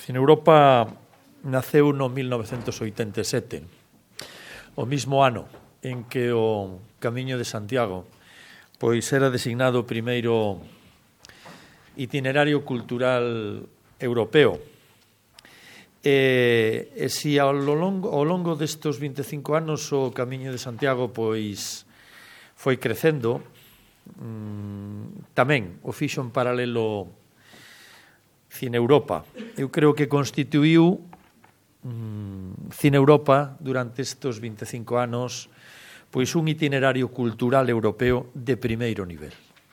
Cineuropa naceu no 1987, o mismo ano en que o Camiño de Santiago pois era designado o primeiro itinerario cultural europeo. E se ao longo destes 25 anos o Camiño de Santiago pois foi crecendo, tamén o fixo en paralelo Cineuropa. Eu creo que constituíu Cineuropa durante estes 25 anos pois un itinerario cultural europeo de primeiro nivel.